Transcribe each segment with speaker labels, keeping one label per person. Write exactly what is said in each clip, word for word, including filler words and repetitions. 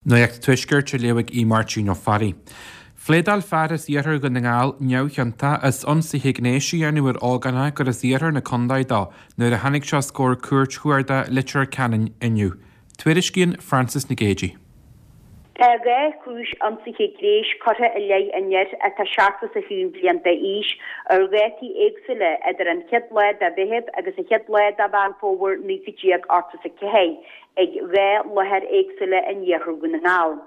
Speaker 1: Nuacht an Tuaiscirt á léamh ag Aodh Máirtín Ó Fearraigh. Phléadáil fear as iarthar Dhún na nGall neamhchiontach as ionsaithe gnéis a dhéanamh ar ógánach gur as iarthar na contae dó nuair a tháinig sé os comhair Cúirt Chuarda Leitir Ceanainn inniu. Tuairiscíonn Frances Nic Géadaigh.
Speaker 2: Tá dhá chúis ionsaithe gnéis curtha i leith an fhir atá seachtó is a haon bliain d'aois ar dhátaí éagsúla idir an chéad lá de Mheitheamh agus an chéad lá de Mheán Fómhair naoi déag ochtó is a ceathair ag dhá láthair éagsúla in iarthar Dhún na nGall.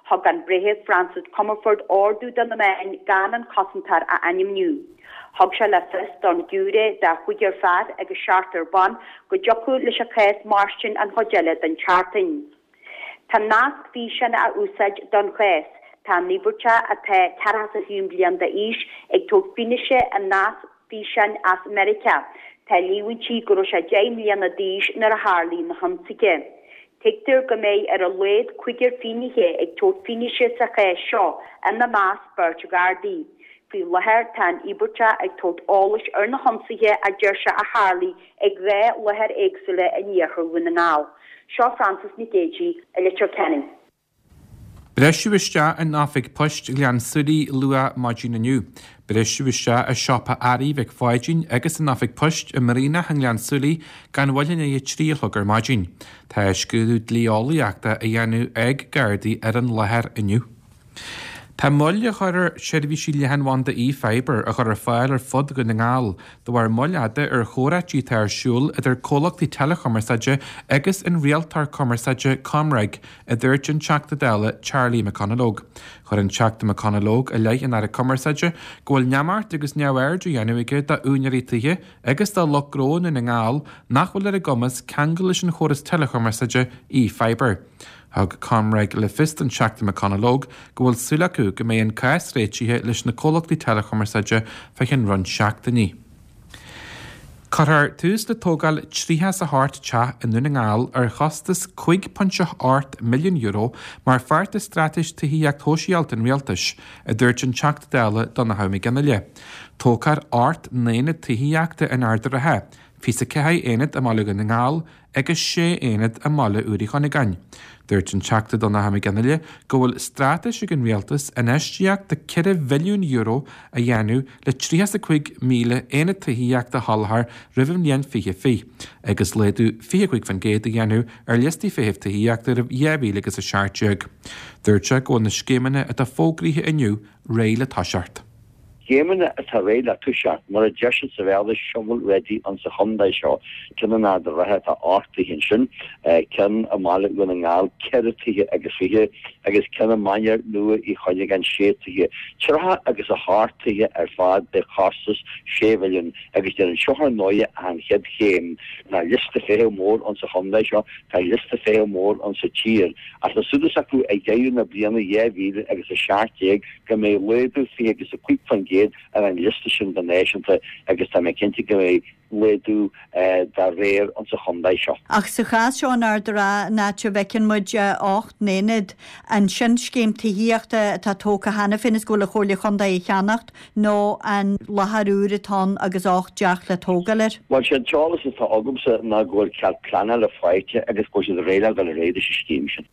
Speaker 2: Thug an Breitheamh Francis Comerford ordú do na meáin gan an cosantóir a ainmniú. Thug sé le fios don ghiúiré de chúigear fear agus seachtar ban go dtiocfadh leis an chás mairstin an chuid eile den tseachtain. Tá nasc físeáin á úsáid don chás. Tá an t-íospartach atá ceathracha is a haon bliain d'aois ag tabhairt fianaise i nasc físeáin as Meiriceá. Tá líomhaintí go raibh sé deich mbliana d'aois nuair a tharlaigh na hionsaithe. Tuigtear go mbeidh ar a laghad cúigear finnéithe ag tabhairt fianaise sa chás seo, ina measc beirt Ghardaí. Faoi láthair tá an t-íospartach ag tabhairt eolais ar na hionsaithe a deir sé a tharlaigh ag dhá láthair éagsúla in iarthar Dhún na nGall. Seo Frances Nic Géadaigh i Leitir Ceanainn.
Speaker 1: Briseadh isteach in oifig poist Ghleann tSúilí luath maidin inniu. Briseadh isteach i siopa earraí Mhic Pháidín agus in oifig poist i mBraonach i nGleann tSúilí gan mhoill i ndiaidh a trí a chlog ar maidin. Tá scrúdú dlí-eolaíochta á dhéanamh ag Gardaí ar an láthair inniu. Tá moill á chur ar sheirbhísí leathanbhanda eFibre a chur ar fáil ar fud Dhún na nGall de bharr moill fhada ar chomhráití atá ar siúl idir comhlachtaí teileachumarsáide agus an rialtóir cumarsáide ComReg, a dúirt an Teachta Dála Charlie McConalogue. Chuir an Teachta McConalogue i leith an Aire Cumarsáide go bhfuil neamart agus neamhaird á dhéanamh aige d'úinéirí tithe agus do lucht gnó i nDún na nGall nach bhfuil ar a gcumas ceangal leis an chóras teileachumarsáide eFibre. Thug ComReg le fios don Teachta McConalogue go bhfuil súil acu go mbeidh an cás réitithe leis na comhlachtaí teileachumarsáide fá cheann roinnt seachtainí. Cuirfear tús le tógáil tríocha is a hocht teach i nDún na nGall ar chostas cúig ponc ocht milliún euro mar pháirt de straitéis tithíocht shóisialta an rialtais, a dúirt an Teachta Dála Donnchadh Mac Fhionnghaile. Tógfar ocht n-aonad tithíochta in Ard an Rátha, fiche a ceathair aonad i mBaile Dhún na nGall agus sé aonad i mBaile Úr Uí Chuinneagáin. Dúirt an Teachta Donnchadh Mac Fhionnghaile go bhfuil straitéis ag an rialtas infheistíocht de ceithre bhilliún euro a dhéanamh le tríocha is a cúig míle aonad tithíochta a sholáthar roimh an mbliain fiche fiche, agus laghdú fiche cúig faoin gcéad a dhéanamh ar liostaí feithimh tithíochta roimh dhá mhíle agus a seacht déag. Dúirt sé go bhfuil na scéimeanna atá fógraithe inniu réidh le toiseacht.
Speaker 3: Scéimeanna atá réidh le toiseacht, mar a deir siad sa Bhéarla, shovel ready insa chontae seo. Ceann in Ard an Rátha tá ocht dtithe ansin, ceann i mBaile Dhún na nGall ceithre tithe agus fiche, agus ceann i Mainéar Nua Uí Chuinneagáin sé tithe. Tríocha agus a hocht tithe ar fad de chostas sé mhilliún agus déarfainn seo ar ndóighe ach an chéad chéim. Tá liosta feithimh mór insa chontae seo, tá liosta feithimh mór insa tír, ach tá súil acu ag deireadh na bliana dhá mhíle agus a seacht déag go mbeidh laghdú fiche agus a cúig faoin gcéad ar an liosta sin go náisiúnta agus tá mé cinnte go mbeidh laghdú dá réir insa chontae seo.
Speaker 4: Ach sa chás seo in Ard an Rátha, an áit a bhfeiceann muid ocht n-aonad, an sin scéim tithíochta atá tógtha cheana féin is go bhfuil an Chomhairle Chontae á cheannacht nó an láthair úr atá ann agus ocht dteach le tógáil air?
Speaker 3: Bhuel, sé an t-eolas atá agamsa ná go bhfuil cead pleanála faighte agus go bhfuil siad réidh le dul ar aghaidh leis an scéim sin.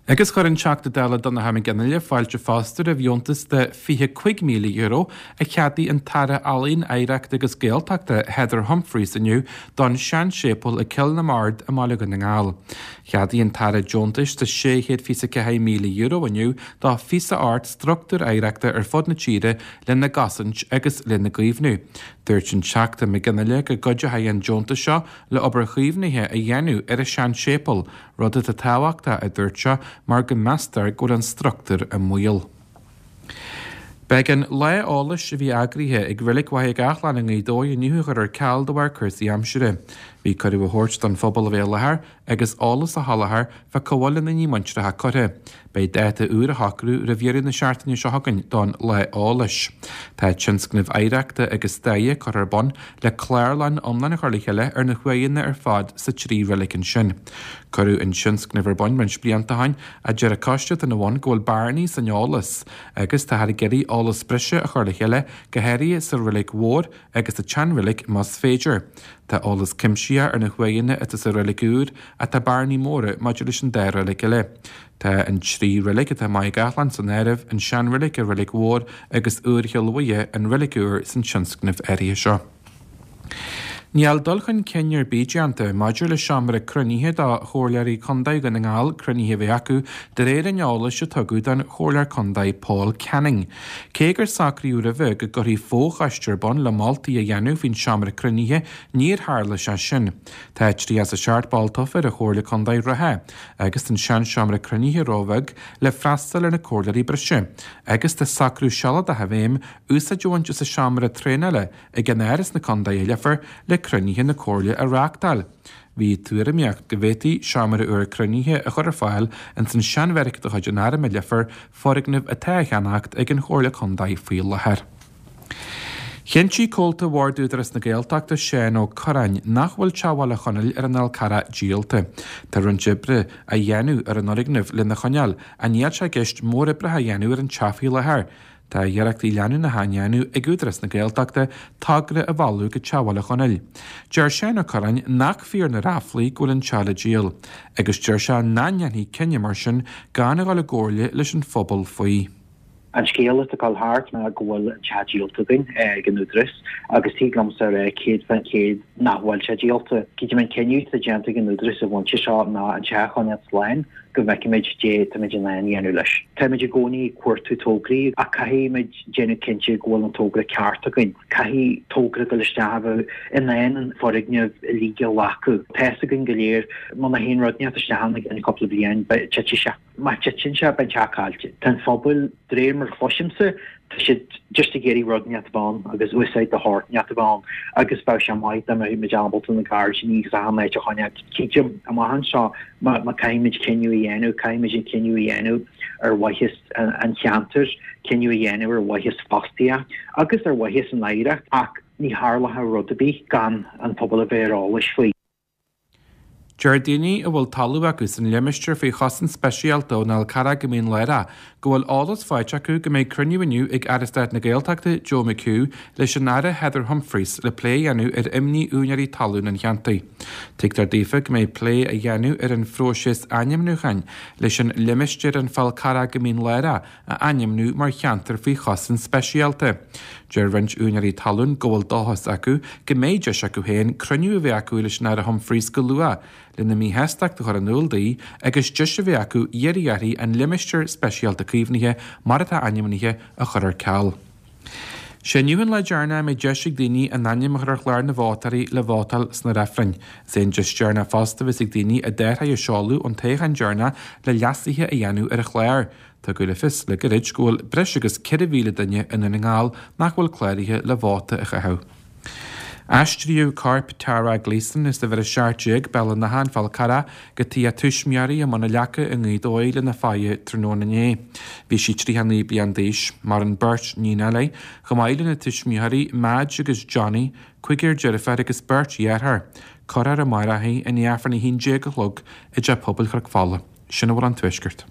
Speaker 1: Agus chuir an Teachta Dála Donnchadh Mac Fhionnghaile fáilte fosta roimh dheontas de fiche cúig míle euro a cheadaigh an tAire Ealaíon, Oidhreachta agus Gaeltachta Heather Humphreys inniu don seanséipéal i gCill na mBard i mBaile Dhún na nGall. Cheadaigh an tAire deontais de sé chéad fiche a ceathair míle euro inniu do fiche a hocht struchtúr oidhreachta ar fud na tíre lena gcosaint agus lena gcaomhnú. Dúirt an Teachta Mac Fhionnghaile go gcuideoidh an deontas seo le obair chaomhnaithe a dhéanamh ar an seanséipéal, rud atá tábhachtach, a dúirt sé, mar go meastar go bhfuil an struchtúr i mbaol. Beidh an lá eolais a bhí eagraithe ag Reilig Mhachaire Gathlán i nGaoth Dobhair inniu á chur ar ceal de bharr cúrsaí aimsire. Bhí cuireadh á thabhairt don phobal a bheith i láthair agus eolas a sholáthar fá cá bhfuil a ndaoine muinteartha curtha. Beidh dáta úr á shocrú roimh dheireadh na seachtaine seo chugainn don lá eolais. Tá tionscnamh oidhreachta agus staire curtha ar bun le clárlann iomlán a chur le chéile ar na huaigheanna ar fad sa trí reilig ansin. Cuireadh an tionscnamh ar bun roinnt blianta ó shin ach deir an coiste atá ina bhun go bhfuil bearnaí san eolas agus táthar ag iarraidh eolas breise a chur le chéile, go háirithe sa reilig mhór agus sa tseanreilig más féidir. Tá eolas cuimsitheach Cuimsitheach ar na huaigheanna atá sa reilig úr ach tá bearnaí móra maidir leis an dá reilig eile. Tá an trí reilig atá i Maigh Gathlán san áireamh, an seanreilig, an Reilig Mhór agus Iúr Chill Mhuire, an reilig úr san tionscnamh áirithe seo. Níl dul chun cinn ar bith déanta maidir le seomra cruinnithe do Chomhairleoirí Contae Dhún na nGall cruinnithe a bheith acu de réir an eolais a tugadh don Chomhairleoir Contae Paul Canning. Cé gur socraíodh roimhe go gcuirfí fochoiste ar bun le moltaí a dhéanamh faoin seomra cruinnithe, níor tharla sé sin. Tá tríocha is a seacht ball tofa ar an Chomhairle Contae reatha agus tá an seanseomra cruinnithe róbheag le freastal ar na comhairleoirí breise agus tá socrú sealadach i bhfeidhm úsáid a bhaint as an seomra traenála ag an Áras na Contae i Leifear le cruinnithe na Comhairle a reáchtáil. Bhí tuairimíocht go bhféadfaí seomra úr cruinnithe a chur ar fáil ins an seanbheairic de chuid an Airm i Leifear, foirgneamh atá á cheannacht ag an Chomhairle Contae faoi láthair. Chinntigh comhalta Bhord Údarás na Gaeltachta Seán Ó Curráin nach bhfuil Teach Bhaile Chonaill ar an Fhál Carrach díolta. Tá roinnt oibre á dhéanamh ar an fhoirgneamh lena choinneáil ach níl sé i gceist móroibreacha a dhéanamh ar an teach faoi láthair. Tá iarrachtaí leanúnacha á ndéanamh ag Údarás na Gaeltachta togra a mhealladh go Teach Bhaile Chonaill. Deir Seán Ó Curráin nach fíor na ráflaí go bhfuil an teach le díol, agus deir sé nach ndéanfaí cinneadh mar sin gan a dhul i gcomhairle leis an phobal faoi.
Speaker 5: An scéal atá ag dul thart ná go bhfuil an teach díolta againn ag an Údarás agus tig liomsa a rá céad faoin chéad nach bhfuil sé díolta. Creidim an cinneadh atá déanta ag an Údarás sa bpointe seo ná an teach a choinneáil slán go bhfeicfimid cad é táimid in ann a dhéanamh leis. Táimid i gcónaí ag cuartú tograí ach caithfimid déanamh cinnte go bhfuil an togra ceart againn. Caithfidh togra dul isteach a bheith in ann an foirgneamh uilig a ghlacadh. Tá fhios againn go léir muna théann rud inteacht isteach ann i gceann cúpla bliain beidh titfidh sé. Má titeann sé, beidh an teach caillte. Tá an pobal, de réir mar a chloisimse, tá siad just ag iarraidh rud inteacht a bheith ann agus úsáid de shórt inteacht a bheith ann agus bheadh sé maith dá mbeadh muid ábalta na gairdíní agus achan áit a choinneáil. Creidim, amach anseo, má má caithfimid cinneadh a dhéanamh, caithfimid an cinneadh a dhéanamh ar mhaitheas an cheantair, cinneadh a dhéanamh ar mhaitheas fostaíocht agus ar mhaitheas an oidhreacht ach ní tharlóidh rud ar bith gan an pobal a bheith ar eolas faoi.
Speaker 1: Deir daoine a bhfuil talamh acu san limistéar faoi chosaint speisialta ón Fhál Carrach go Mín Lárach go bhfuil eolas faighte acu go mbeidh cruinniú inniu ag Aire Stáit na Gaeltachta Joe McHugh leis an Aire Heather Humphreys le plé a dhéanamh ar imní úinéirí talún an cheantair. Tuigtear daofa go mbeidh plé á dhéanamh ar an phróiseas ainmniúcháin leis an limistéar an Fál Carrach go Mín Lárach a ainmniú mar cheantar faoi chosaint speisialta. Deir roinnt úinéirí talún go bhfuil dóchas acu go mbeidh deis acu féin cruinniú a bheith acu leis an Aire Humphreys go luath lena míshástacht a chur in iúl di agus deis a bheith acu iarraidh uirthi an limistéar speisialta caomhnaithe mar atá ainmnithe a chur ar ceal. Sé inniu an lá deireanach a mbeidh deis ag daoine a n-ainm a chur ar chlár na vótóirí le vótáil sna reifrinn. Is é an deis deireanach fosta a bheas ag daoine a dtáirgí a seoladh ón toghchán deireanach le leasuithe a dhéanamh ar an chlár. Tugadh le fios le gairid go bhfuil breis agus ceithre mhíle duine i nDún na nGall nach bhfuil cláraithe le vóta a chaitheamh. Aistríodh corp Tara Gleeson as uimhir a seacht déag, Béal an Átha, An Fál Carrach, go tigh a tuismitheoirí i mBun na Leaca i nGaoth Dobhair lena faire tráthnóna inné. Bhí sí tríocha naoi bliain d'aois. Maireann beirt níonacha léi, chomh maith lena tuismitheoirí Madge agus Johnny, cúigear deirfiúr agus beirt dheartháir. Cuirfear amárach í i ndiaidh Aifreann a haon déag a chlog i dTeach Pobail Chnoc Fola. Sin a bhfuil ón Tuaisceart.